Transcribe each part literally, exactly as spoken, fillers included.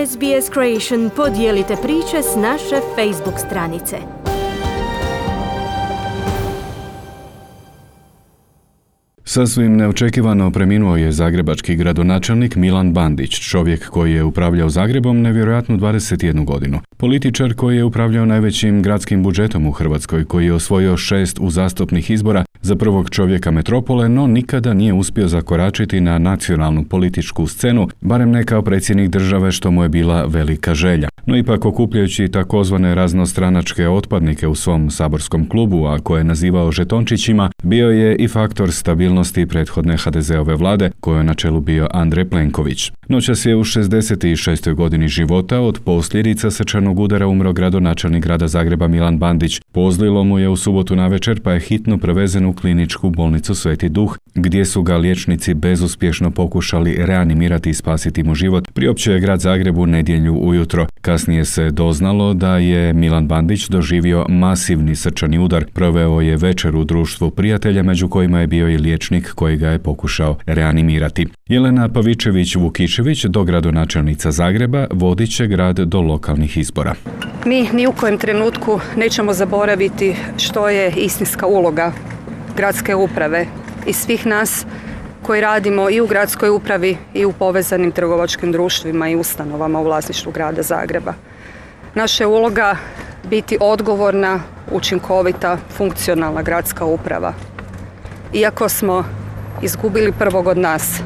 S B S Creation podijelite priče s naše Facebook stranice. Sasvim neočekivano preminuo je zagrebački gradonačelnik Milan Bandić, čovjek koji je upravljao Zagrebom nevjerojatnu dvadeset jednu godinu. Političar koji je upravljao najvećim gradskim budžetom u Hrvatskoj, koji je osvojio šest uzastopnih izbora za prvog čovjeka metropole, no nikada nije uspio zakoračiti na nacionalnu političku scenu, barem ne kao predsjednik države, što mu je bila velika želja. No ipak, okupljajući takozvane raznostranačke otpadnike u svom saborskom klubu, a koje je nazivao žetončićima, bio je i faktor stabilnosti prethodne ha de zeove vlade, kojoj je na čelu bio Andrej Plenković. Noćas je u šezdeset šestoj godini života od posljedica srčanog udara umro gradonačelnik grada Zagreba Milan Bandić. Pozlilo mu je u subotu navečer, pa je hitno prevezen u kliničku bolnicu Sveti Duh, gdje su ga liječnici bezuspješno pokušali reanimirati i spasiti mu život. Priopćio je grad Zagreb u nedjelju ujutro. Kasnije se doznalo da je Milan Bandić doživio masivni srčani udar. Proveo je večer u društvu prijatelja, među kojima je bio i liječnik koji ga je pokušao reanimirati. Jelena Pavičević-Vukičević, dogradonačelnica Zagreba, vodit će grad do lokalnih izbora. Mi ni u kojem trenutku nećemo zaboraviti što je istinska uloga gradske uprave i svih nas koji radimo i u gradskoj upravi i u povezanim trgovačkim društvima i ustanovama u vlasništvu grada Zagreba. Naša je uloga biti odgovorna, učinkovita, funkcionalna gradska uprava. Iako smo izgubili prvog od nas,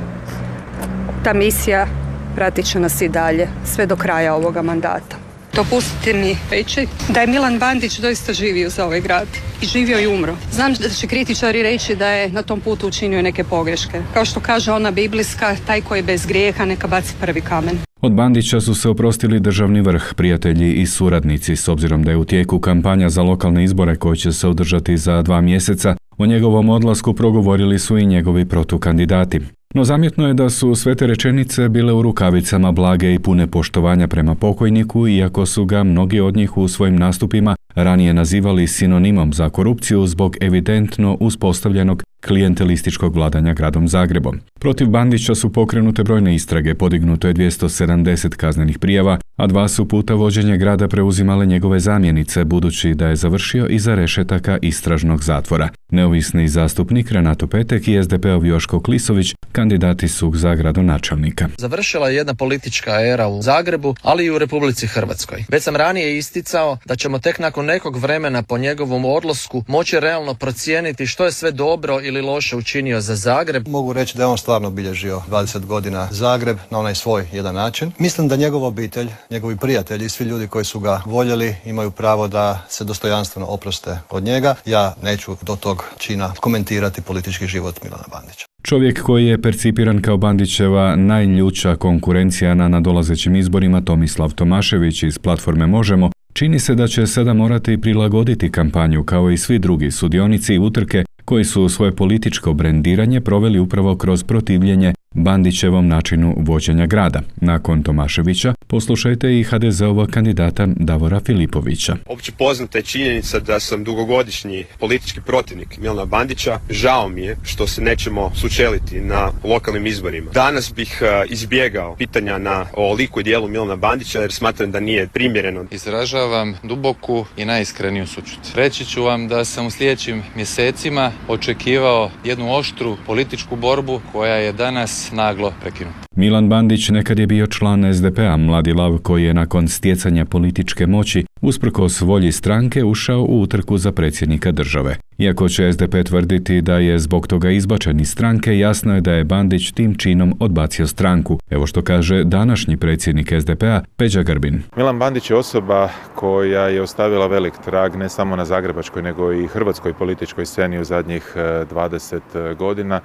ta misija pratit će nas i dalje, sve do kraja ovoga mandata. Dopustite mi reći da je Milan Bandić doista živio za ovaj grad i živio i umro. Znam da će kritičari reći da je na tom putu učinio neke pogreške. Kao što kaže ona biblijska, taj koji je bez grijeha neka baci prvi kamen. Od Bandića su se oprostili državni vrh, prijatelji i suradnici, s obzirom da je u tijeku kampanja za lokalne izbore koje će se održati za dva mjeseca. O njegovom odlasku progovorili su i njegovi protukandidati. No zamjetno je da su sve te rečenice bile u rukavicama, blage i pune poštovanja prema pokojniku, iako su ga mnogi od njih u svojim nastupima ranije nazivali sinonimom za korupciju zbog evidentno uspostavljenog klijentelističkog vladanja gradom Zagrebom. Protiv Bandića su pokrenute brojne istrage, podignuto je dvjesto sedamdeset kaznenih prijava, a dva su puta vođenje grada preuzimale njegove zamjenice, budući da je završio iza rešetaka istražnog zatvora. Neovisni zastupnik Renato Petek i es de peov Joško Klisović kandidati su za gradonačelnika. Završila je jedna politička era u Zagrebu, ali i u Republici Hrvatskoj. Već sam ranije isticao da ćemo tek nakon nekog vremena po njegovom odlasku moći realno procijeniti što je sve dobro ili loše učinio za Zagreb. Mogu reći da je on stvarno obilježio dvadeset godina Zagreb na onaj svoj jedan način. Mislim da njegova obitelj, njegovi prijatelji i svi ljudi koji su ga voljeli imaju pravo da se dostojanstveno oproste od njega. Ja neću do tog čina komentirati politički život Milana Bandića. Čovjek koji je percipiran kao Bandićeva najljuća konkurencija na nadolazećim izborima, Tomislav Tomašević iz platforme Možemo, čini se da će sada morati prilagoditi kampanju kao i svi drugi sudionici utrke koji su svoje političko brendiranje proveli upravo kroz protivljenje Bandićevom načinu vođenja grada. Nakon Tomaševića poslušajte i ha de zeovog kandidata Davora Filipovića. Opće poznata je činjenica da sam dugogodišnji politički protivnik Milana Bandića. Žao mi je što se nećemo sučeliti na lokalnim izborima. Danas bih uh, izbjegao pitanja na o liku i dijelu Milana Bandića jer smatram da nije primjereno. Izražavam duboku i najiskreniju sućut. Reći ću vam da sam u sljedećim mjesecima očekivao jednu oštru političku borbu koja je danas naglo prekinuta. Milan Bandić nekad je bio član es de pea, mladi lav koji je nakon stjecanja političke moći usprkos volji stranke ušao u utrku za predsjednika države. Iako će es de pe tvrditi da je zbog toga izbačen iz stranke, jasno je da je Bandić tim činom odbacio stranku. Evo što kaže današnji predsjednik es de pea Peđa Grbin. Milan Bandić je osoba koja je ostavila velik trag ne samo na zagrebačkoj nego i hrvatskoj političkoj sceni u zadnjih dvadeset godina.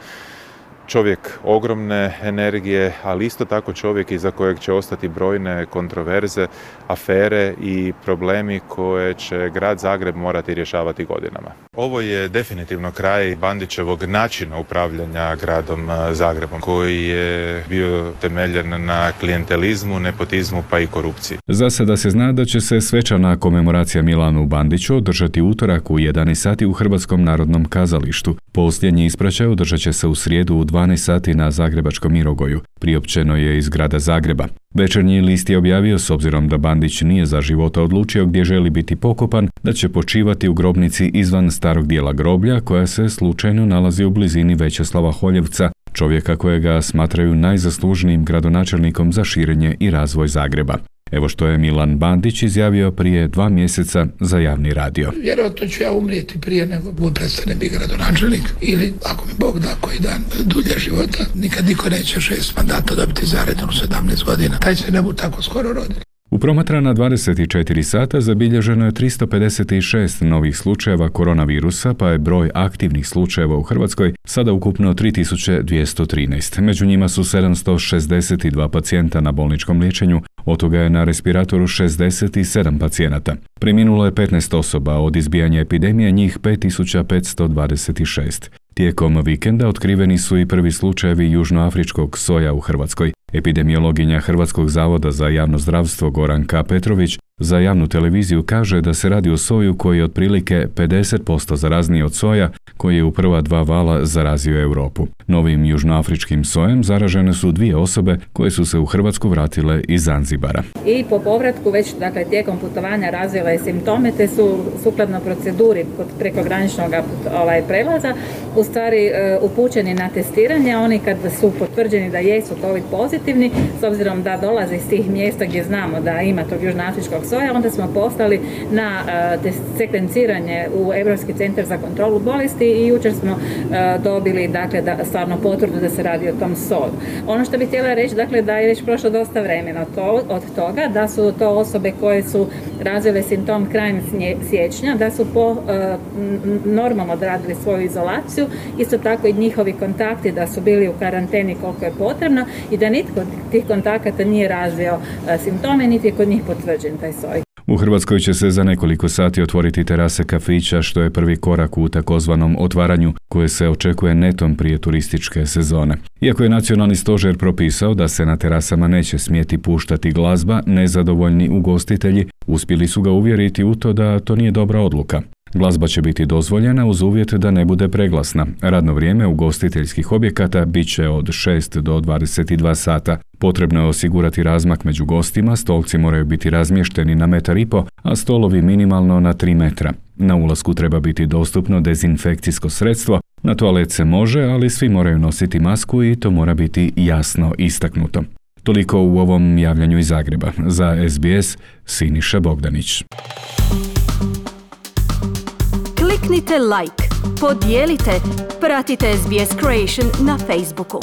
Čovjek ogromne energije, ali isto tako čovjek iza kojeg će ostati brojne kontroverze, afere i problemi koje će grad Zagreb morati rješavati godinama. Ovo je definitivno kraj Bandićevog načina upravljanja gradom Zagrebom, koji je bio temeljen na klijentelizmu, nepotizmu pa i korupciji. Za sada se zna da će se svečana komemoracija Milanu Bandiću održati utorak u jedanaest sati u Hrvatskom narodnom kazalištu. Posljednji ispraćaj održat će se u srijedu u dvanaest sati na zagrebačkom Mirogoju, priopćeno je iz grada Zagreba. Večernji list je objavio, s obzirom da Bandić nije za života odlučio gdje želi biti pokopan, da će počivati u grobnici izvan starog dijela groblja koja se slučajno nalazi u blizini Većeslava Holjevca, čovjeka kojega smatraju najzaslužnijim gradonačelnikom za širenje i razvoj Zagreba. Evo što je Milan Bandić izjavio prije dva mjeseca za javni radio. Vjerojatno ću ja umrijeti prije nego bude prestane biti gradonačelnik ili ako mi Bog da koji dan dulje života. Nikad niko neće šest mandata dobiti zaredno u sedamnaest godina. Taj se ne bude tako skoro rodili. U promatrana dvadeset četiri sata zabilježeno je tristo pedeset šest novih slučajeva koronavirusa, pa je broj aktivnih slučajeva u Hrvatskoj sada ukupno tri tisuće dvjesto trinaest. Među njima su sedamsto šezdeset dva pacijenta na bolničkom liječenju, od toga je na respiratoru šezdeset sedam pacijenata. Preminulo je petnaest osoba, od izbijanja epidemije njih pet tisuća petsto dvadeset šest. Tijekom vikenda otkriveni su i prvi slučajevi južnoafričkog soja u Hrvatskoj. Epidemiologinja Hrvatskog zavoda za javno zdravstvo Goranka Petrović za javnu televiziju kaže da se radi o soju koji je otprilike pedeset posto zarazniji od soja koji je u prva dva vala zarazio Europu. Novim južnoafričkim sojem zaražene su dvije osobe koje su se u Hrvatsku vratile iz Zanzibara. I po povratku već dakle, tijekom putovanja razvile simptome te su sukladno proceduri kod prekograničnog ovaj, prelaza u stvari e, upućeni na testiranje. Oni kad su potvrđeni da jesu COVID pozitivni, s obzirom da dolaze iz tih mjesta gdje znamo da ima tog južnoafričkog soja, onda smo poslali na uh, sekvenciranje u Europski centar za kontrolu bolesti i jučer smo uh, dobili dakle, da, stvarno potvrdu da se radi o tom soju. Ono što bih htjela reći, dakle, da je već prošlo dosta vremena to, od toga, da su to osobe koje su razvile simptom krajem siječnja, da su po uh, normalno odradili svoju izolaciju, isto tako i njihovi kontakti da su bili u karanteni koliko je potrebno i da nitko od tih kontakata nije razvio uh, simptome, niti je kod njih potvrđen taj soj. U Hrvatskoj će se za nekoliko sati otvoriti terase kafića, što je prvi korak u takozvanom otvaranju koje se očekuje netom prije turističke sezone. Iako je nacionalni stožer propisao da se na terasama neće smjeti puštati glazba, nezadovoljni ugostitelji uspjeli su ga uvjeriti u to da to nije dobra odluka. Glazba će biti dozvoljena uz uvjet da ne bude preglasna. Radno vrijeme ugostiteljskih objekata bit će od šest do dvadeset dva sata. Potrebno je osigurati razmak među gostima, stolci moraju biti razmješteni na metar i po, a stolovi minimalno na tri metra. Na ulasku treba biti dostupno dezinfekcijsko sredstvo, na toalet se može, ali svi moraju nositi masku i to mora biti jasno istaknuto. Toliko u ovom javljanju iz Zagreba. Za S B S, Siniša Bogdanić. Kliknite like, podijelite, pratite S B S Creation na Facebooku.